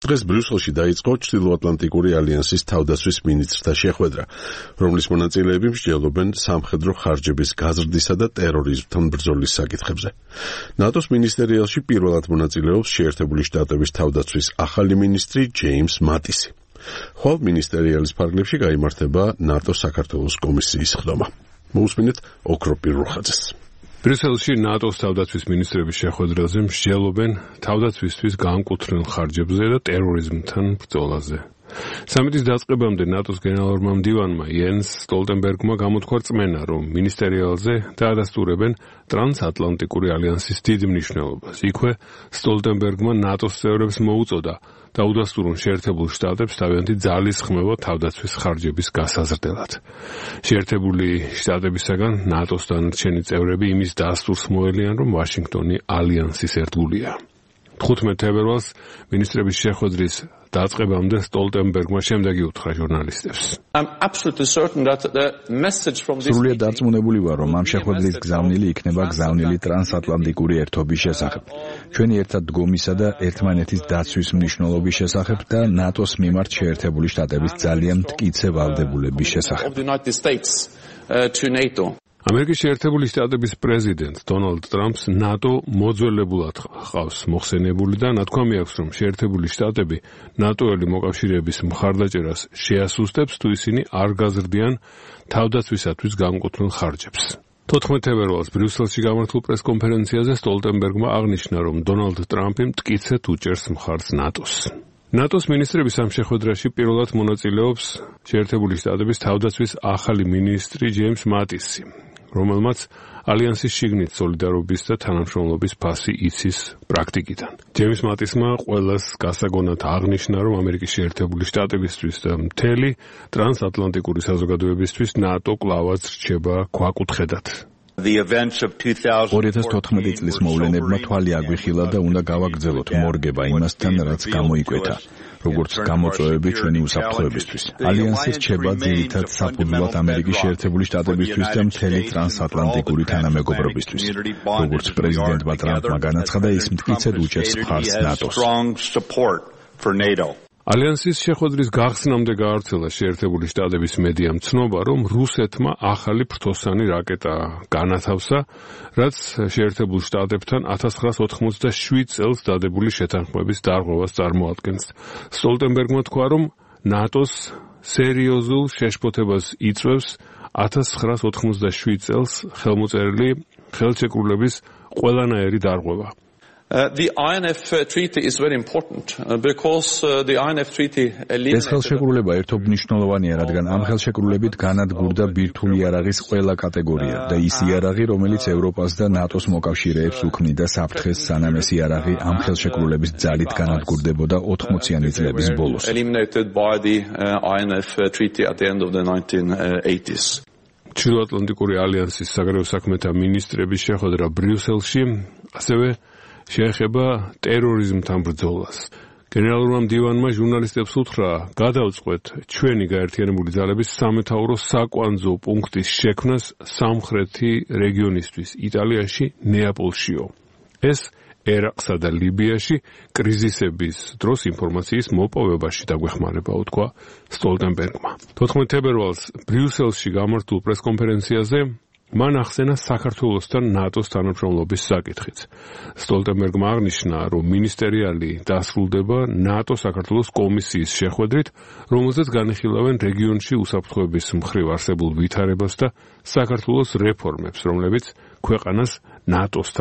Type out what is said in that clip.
დღეს ბრიუსელში დაიწყო ჩრდილოატლანტიკური ალიანსის თავდაცვის მინისტრთა შეხვედრა, რომლის მონაწილეები მსჯელობენ სამხედრო ხარჯების გაზრდისა და ტერორიზმთან ბრძოლის საკითხებზე. ნატოს მინისტერიალში პირველად მონაწილეობს შეერთებული შტატების თავდაცვის ახალი მინისტრი ჯეიმს მატისი. ხვალ მინისტერიალის ფარგლებში გაიმართება ნატოს საქართველოს კომისიის ხდომა. მოусმინეთ ოქროპ პირუხაძეს. ბრიუსელში ნატოს თავდაცვის მინისტრების შეხვედრაზე მსჯელობენ თავდაცვისთვის განკუთვნილ ხარჯებზე და ტერორიზმთან ბრძოლაზე. სამიტის დაწყებამდე ნატოს გენერალურმა მდივანმა იენს სტოლტენბერგმა გამოთქვა რწმენა, რომ მინისტერიალზე დაადასტურებენ ტრანსატლანტიკური ალიანსის დიდ მნიშვნელობას. იქვე სტოლტენბერგმა ნატოს წევრებს მოუწოდა დაუდასტურონ შეერთებულ შტატებს თავიანთი ძალის ხმევა თავდაცვის ხარჯების გასაზრდელად. შეერთებული შტატებისაგან ნატოს დანარჩენი წევრები იმის დასტურს მოელიან, რომ ვაშინგტონი ალიანსის ერთგულია. 15 თებერვალს მინისტრების შეხვედრის დაწყებამდე სტოლტენბერგმა შემდეგი უთხრა ჟურნალისტებს. სრულიად დარწმუნებული ვარ, რომ ამ შეხვედრის გზავნილი იქნება გზავნილი ტრანსატლანტიკური ერთობის შესახებ, ჩვენი ერთად დგომისა და ერთმანეთის დაცვის მნიშვნელობის შესახებ და ნატოს მიმართ შეერთებული შტატების ძალიან მტკიცე ვალდებულების შესახებ. ამერიკის შეერთებული შტატების პრეზიდენტ დონალდ ტრამპს ნატო მოძველებულად ჰყავს მოხსენებული და ნათქვამი აქვს, რომ შეერთებული შტატები ნატოელი მოკავშირეების მხარდაჭერას შეასუსტებს, თუ ისინი არ გაზრდიან თავდაცვისათვის განკუთვნილ ხარჯებს. 14 თებერვალს ბრიუსელში გამართულ პრესკონფერენციაზე სტოლტენბერგმა აღნიშნა, რომ დონალდ ტრამპი მტკიცედ უჭერს მხარს ნატოს. ნატოს მინისტრების ამ შეხვედრაში პირველად მონაწილეობს შეერთებული შტატების თავდაცვის ახალი მინისტრი ჯეიმს მატისი, რომელმაც ალიანსის შიგნით სოლიდარობის და თანამშრომლობის ფასი იცის პრაქტიკიდან. ჯეიმს მატისმა ყველას გასაგონად აღნიშნა, რომ ამერიკის შეერთებული შტატებისთვის და მთელი ტრანსატლანტიკური საზოგადოებისთვის ნატო კლავაც რჩება ქვაკუთხედად. 2014 წლის მოვლენებმა თვალი აგვიხილა და უნდა გავაგრძელოთ მორგება იმასთან, რაც გამოიკვეთა, როგორც გამოწვევები ჩვენი უსაფრთხოებისთვის. ალიანსი რჩება ძირითად საფუძვლად ამერიკის შეერთებული შტატებისთვის და მთელი ტრანსატლანტიკური თანამეგობრობისთვის. როგორც პრეზიდენტმა ტრამპმა განაცხადა, ის მტკიცედ უჭერს მხარს ნატოს. ალიანსის შეხვედრის გახსნამდე გაავრცელა შეერთებული შტატების მედიამ ცნობა, რომ რუსეთმა ახალი ფრთოსანი რაკეტა განათავსა, რაც შეერთებულ შტატებთან 1987 წელს დადებული შეთანხმების დარღვევას წარმოადგენს. სტოლტენბერგმა თქვა, რომ ნატოს სერიოზულ შეშფოთებას იწვევს 1987 წელს ხელმოწერილი ხელშეკრულების ყველანაირი დარღვევა. The INF treaty is very important because the INF treaty ეს ხელშეკრულება ერთობ მნიშვნელოვანია, რადგან ამ ხელშეკრულებით განადგურდა ბირთვული იარაღის ყველა კატეგორია და ის იარაღი, რომელიც ევროპას და ნატოს მოკავშირეებს უქმნიდა საფრთხეს, სანამ ეს იარაღი ამ ხელშეკრულების ძალით განადგურდებოდა 80-იანი წლების ბოლოს. eliminated by the INF treaty at the end of the 1980s. ჩრდილოატლანტიკური ალიანსის საგარეო საქმეთა მინისტრების შეხვედრა ბრიუსელში ასევე შეეხება ტერორიზმთან ბრძოლას. გენერალურმა მდივანმა ჟურნალისტებს უთხრა, გადავწყვეთ ჩვენი გაერთიანებული ძალების სამეთაურო საკვანძო პუნქტის შექმნას სამხრეთი რეგიონისთვის, იტალიაში, ნეაპოლშიო. ეს ერაყსა და ლიბიაში კრიზისების დროს ინფორმაციის მოპოვებაში დაგვეხმარება, უთქვა სტოლტენბერგმა. 14 თებერვალს ბრიუსელში გამართულ პრესკონფერენციაზე მან ახსენა საქართველოსთან ნატოს თანამშრომლობის საკითხიც. სტოლტენბერგმა აღნიშნა, რომ მინისტერიალი დასრულდება ნატო-საქართველოს კომისიის შეხვედრით, რომელზეც განიხილავენ რეგიონში უსაფრთხოების მხრივ არსებულ ვითარებას და საქართველოს რეფორმებს, რომლებიც ქვეყანას ნატოსთან